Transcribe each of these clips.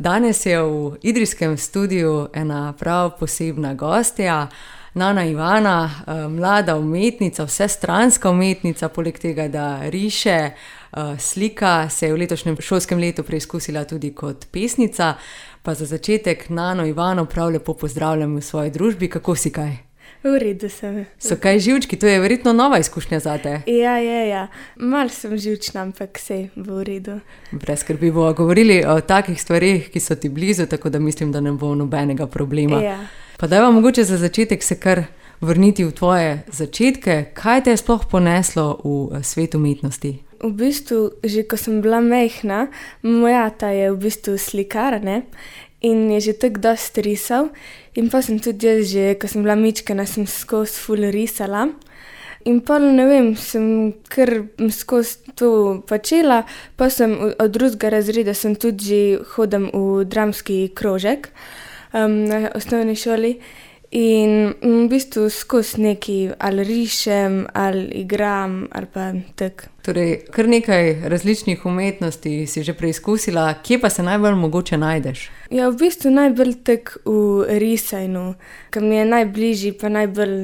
Danes je v idrijskem studiu ena prav posebna gostja, Nana Ivana, mlada umetnica, vsestranska umetnica, poleg tega, da riše, slika, se je v letošnjem šolskem letu preizkusila tudi kot pesnica. Pa za začetek Nano Ivano prav lepo pozdravljam v svoji družbi. Kako si kaj? V redu sem. So kaj živčki? To je verjetno nova izkušnja zate. Ja. Malo sem živčna, ampak sej v redu. Brez skrbi, bomo govorili o takih stvareh, ki so ti blizu, tako da mislim, da ne bo nobenega problema. Ja. Pa dajva mogoče za začetek se kar vrniti v tvoje začetke. Kaj te je sploh poneslo v svet umetnosti? V bistvu, že ko sem bila majhna, moj ata je v bistvu slikar, ne? In je že tako dosti risal. In pa sem tudi jaz že, ko sem bila mičkena, sem skozi ful risala. In pa ne vem, sem kar skozi to počela, pa sem od drugega razreda sem tudi že hodim v dramski krožek na osnovni šoli. In v bistvu skozi nekaj ali rišem, ali igram, ali pa tako. Torej, kar nekaj različnih umetnosti si že preizkusila, kje pa se najbolj mogoče najdeš? Ja, v bistvu najbolj tako v risanju, ki mi je najbližji, pa najbolj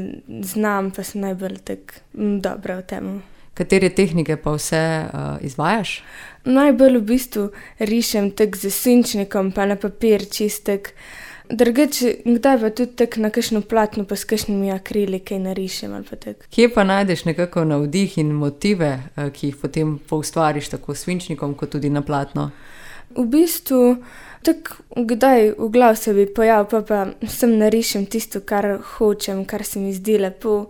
znam, pa sem najbolj tako dobra v tem. Katere tehnike pa vse izvajaš? Najbolj v bistvu rišem tako z svinčnikom, pa na papir čistek. Drugače, kdaj pa tudi tako na kakšno platno, pa s kakšnimi akrili kaj narišem ali pa tako. Kje pa najdeš nekako navdih in motive, ki jih potem poustvariš tako s svinčnikom, kot tudi na platno? V bistvu, tako kdaj v glav se bi pojavil, pa sem narišem tisto, kar hočem, kar se mi zdi lepo.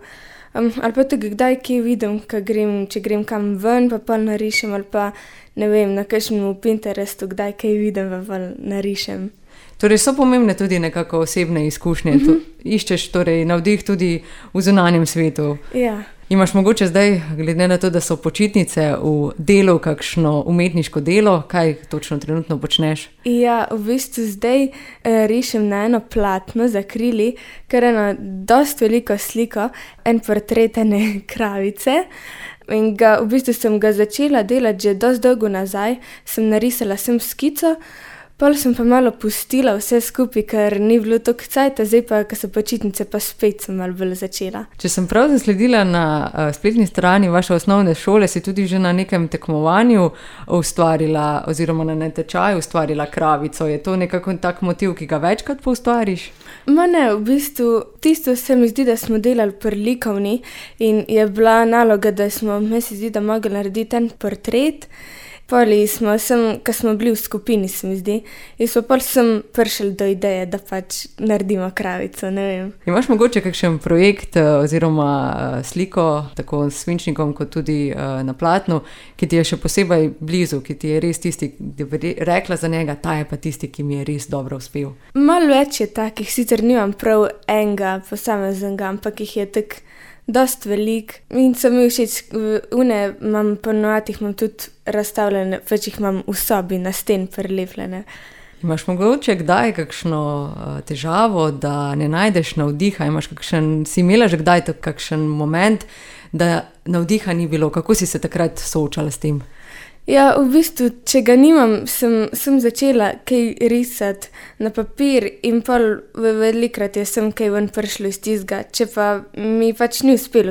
Ali pa tako kdaj kje vidim, če grem kam ven, pa narišem, ali pa ne vem, na kakšnem Pinterestu, kdaj kaj vidim, pa narišem. Torej so pomembne tudi nekako osebne izkušnje. Iščeš torej navdih tudi v zunanjem svetu. Ja. Imaš mogoče zdaj, glede na to, da so počitnice, v delu kakšno umetniško delo? Kaj točno trenutno počneš? Ja, v bistvu zdaj rišem na eno platno z akrili, kar je eno dosti veliko sliko, en portret ene kravice. In v bistvu sem ga začela delati že dosti dolgo nazaj, sem narisala sem skico. Pol sem pa malo pustila vse skupaj, ker ni bilo toliko cajta, zdaj pa, ko so počitnice, pa spet sem malo bolj začela. Če sem prav zasledila na spletni strani vaše osnovne šole, si tudi že na nekem tekmovanju ustvarila, oziroma na natečaju ustvarila kravico. Je to nekako tak motiv, ki ga večkrat poustvariš? Ma ne, v bistvu tisto se mi zdi, da smo delali pri likovni in je bila naloga, da smo, meni se zdi, da mogli narediti en portret. Poli smo, ko smo bili v skupini, se mi zdi, in smo pol sem prišli do ideje, da pač naredimo kravico, ne vem. Imaš mogoče kakšen projekt oziroma sliko, tako s svinčnikom kot tudi na platnu, ki ti je še posebej blizu, ki ti je res tisti, da bi rekla za njega, ta je pa tisti, ki mi je res dobro uspel? Malo več je takih, sicer nimam prav enega posameznega, ampak jih je tako dosti velik in so mi všeč, imam ponovadi imam tudi razstavljene, pač jih imam v sobi na sten prilepljene. Imaš mogoče kdaj kakšno težavo, da ne najdeš navdiha? Si imela že kdaj kakšen moment, da navdiha ni bilo? Kako si se takrat soočala s tem? Ja, v bistvu, če ga nimam, sem začela kaj risati na papir in pol velikrat sem kaj ven prišlo iz tistega. Če pa mi pač ni uspelo,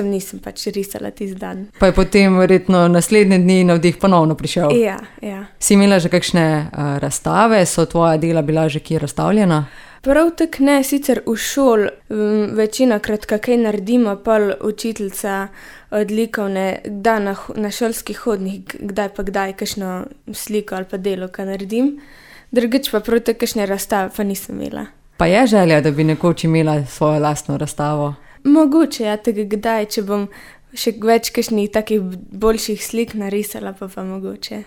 nisem pač risala tisti dan. Pa je potem verjetno naslednje dni navdih ponovno prišel? Ja. Si imela že kakšne razstave? So tvoja dela bila že kje razstavljena? Prav tako ne, sicer v šoli večinokrat kaj naredimo, pol učiteljica od likovne da na šolski hodnik, kdaj pa kdaj kakšno sliko ali pa delo, kaj naredim. Drugič pa prav tako kakšne razstave pa nisem imela. Pa je želja, da bi nekoč imela svojo lastno razstavo? Mogoče, ja, tega kdaj, če bom še več kakšnih takih boljših slik narisala, pa mogoče.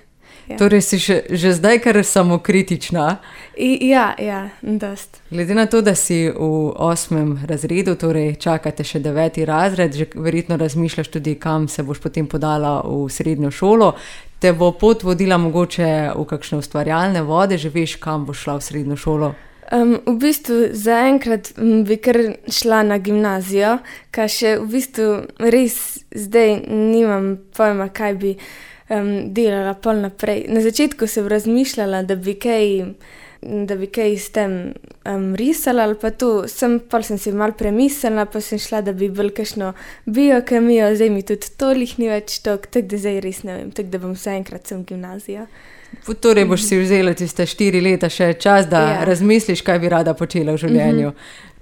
Ja. Torej si že zdaj kar samokritična? Ja, dost. Glede na to, da si v 8. razredu, torej čakate še 9. razred, že verjetno razmišljaš tudi, kam se boš potem podala v srednjo šolo. Te bo pot vodila mogoče v kakšne ustvarjalne vode, že veš, kam boš šla v srednjo šolo? V bistvu zaenkrat bi kar šla na gimnazijo, kaj še v bistvu res zdaj nimam pojma, kaj bi delala pol naprej. Na začetku sem razmišljala, da bi kaj s tem risala ali pa to. Pol sem si malo premislila, pa sem šla, da bi bolj kakšno biokemijo, zdaj mi tudi tolih ni več tako da zdaj res ne vem, tako da bom vse enkrat sem gimnazija. Torej boš si vzela tiste 4 leta še čas, da razmisliš, kaj bi rada počela v življenju.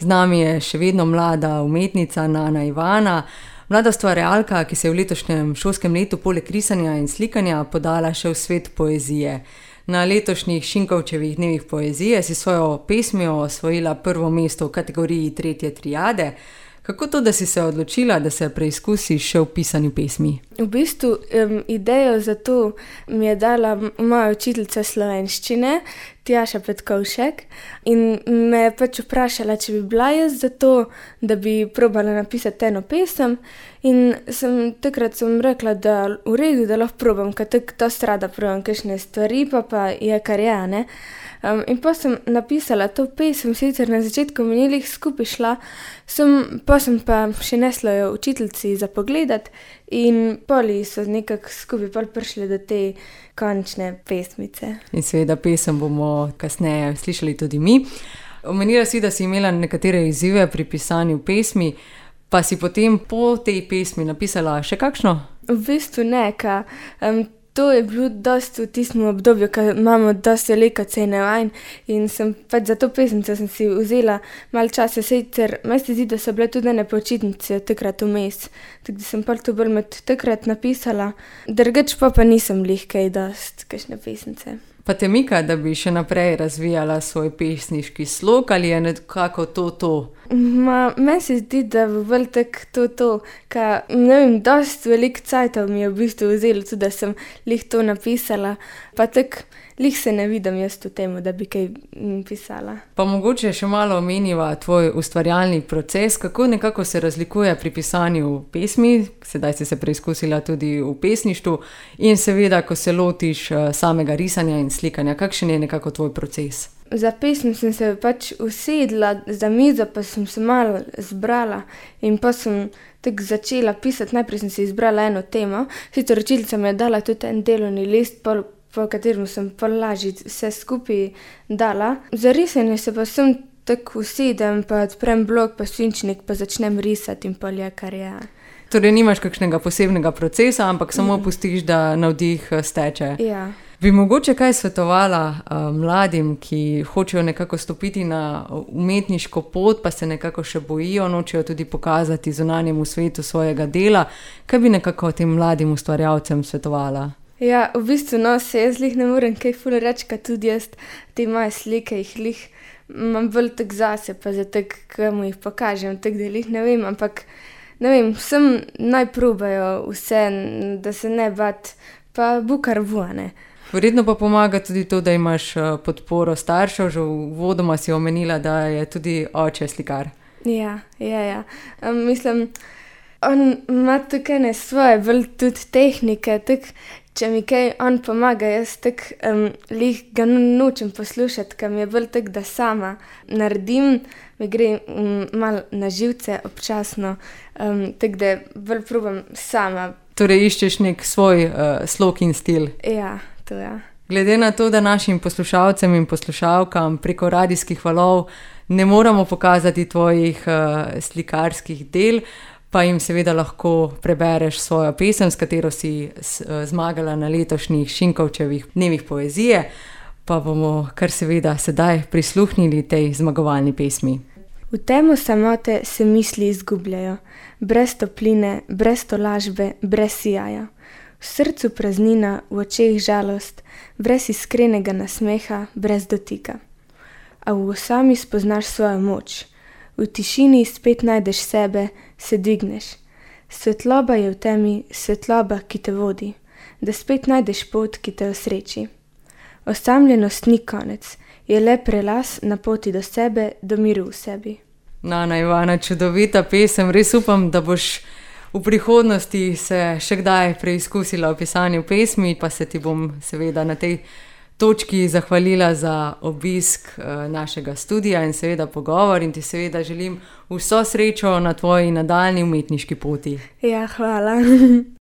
Z nami je še vedno mlada umetnica Nana Ivana, mlada ustvarjalka, ki se je v letošnjem šolskem letu poleg risanja in slikanja podala še v svet poezije. Na letošnjih Šinkovčevih dnevih poezije si svojo pesmijo osvojila prvo mesto v kategoriji 3. triade. Kako to, da si se odločila, da se preizkusiš še v pisanju pesmi? V bistvu idejo za to mi je dala moja učiteljica slovenščine, Tjaša Petkovšek, in me je pač vprašala, če bi bila jaz za to, da bi probala napisati eno pesem, in takrat sem rekla, da v redu, da lahko probam, ker tako dosti rada probam kakšne stvari, pa je kar je, ne. In pa sem napisala to pesem, sicer na začetku mi ni glih skupaj šla, pa sem pa še nesla jo učiteljici za pogledat in poli so nekako skupaj pol prišli do te končne pesmice. In seveda pesem bomo kasneje slišali tudi mi. Omenila si, da si imela nekatere izzive pri pisanju pesmi, pa si potem po tej pesmi napisala še kakšno? V bistvu ne, to je bilo dosti v tistem obdobju, ko imamo dosti veliko cene vajn in sem pač za to pesmico sem si vzela malo časa, sicer meni se zdi, da so bile tudi ene počitnice takrat vmes, tako da sem pol to bolj med takrat napisala, drugače pa nisem glih kaj dosti kakšne pesmice. Pa te mika, da bi še naprej razvijala svoj pesniški slog ali je nekako to? Meni se zdi, da bo bolj tako to, ka ne vem, dosti veliko cajtov mi je v bistvu vzelo tudi, da sem glih to napisala, pa tako glih se ne vidim jaz v temu, da bi kaj pisala. Pa mogoče še malo omeniva tvoj ustvarjalni proces, kako nekako se razlikuje pri pisanju pesmi, sedaj si se preizkusila tudi v pesništvu, in seveda, ko se lotiš samega risanja in slikanja, kakšen je nekako tvoj proces? Za pesem sem se pač usedla za mizo, pa sem se malo zbrala in pa sem tako začela pisati. Najprej sem si izbrala eno temo, sicer učiteljica mi je dala tudi en delovni list, po katerem sem pol lažje vse skupaj dala. Za risanje se pa sem tako usedem, pa odprem blok, pa svinčnik, pa začnem risati in pol je kar je. Torej nimaš kakšnega posebnega procesa, ampak samo pustiš, da navdih steče. Ja. Bi mogoče kaj svetovala mladim, ki hočejo nekako stopiti na umetniško pot, pa se nekako še bojijo, nočejo tudi pokazati zunanjemu svetu svojega dela? Kaj bi nekako tem mladim ustvarjalcem svetovala? Ja, v bistvu se jaz glih ne morem kaj ful reči, ka tudi jaz te moje slike jih glih imam bolj tako zase, pa za tako, ko mu jih pokažem, tako da glih ne vem, ampak ne vem, vsem naj probajo vse, da se ne bat, pa bo kar bo, ne. Verjetno pa pomaga tudi to, da imaš podporo staršev, že uvodoma si omenila, da je tudi oče slikar. Ja. Mislim, on ima tukaj ne svoje, bolj tudi tehnike, tako, če mi kaj on pomaga, jaz tako glih ga nočem poslušati, ker mi je bolj tako, da sama naredim, mi gre malo na živce občasno, tako da bolj probam sama. Torej iščeš nek svoj slog in stil. Ja, to je. Glede na to, da našim poslušalcem in poslušalkam preko radijskih valov ne moramo pokazati tvojih slikarskih del, pa jim seveda lahko prebereš svojo pesem, s katero si zmagala na letošnjih Šinkovčevih dnevih poezije, pa bomo kar seveda sedaj prisluhnili tej zmagovalni pesmi. V temo samote se misli izgubljajo, brez topline, brez tolažbe, brez sijaja. V srcu praznina, v očeh žalost, brez iskrenega nasmeha, brez dotika. A v osami spoznaš svojo moč, v tišini spet najdeš sebe, se dvigneš. Svetloba je v temi, svetloba, ki te vodi, da spet najdeš pot, ki te osreči. Osamljenost ni konec, je le prelaz na poti do sebe, do miru v sebi. Nana Ivana, čudovita pesem, res upam, da boš v prihodnosti se še kdaj preizkusila v pisanju pesmi, pa se ti bom seveda na tej točki zahvalila za obisk našega studia in seveda pogovor in ti seveda želim vso srečo na tvoji nadaljnji umetniški poti. Ja, hvala.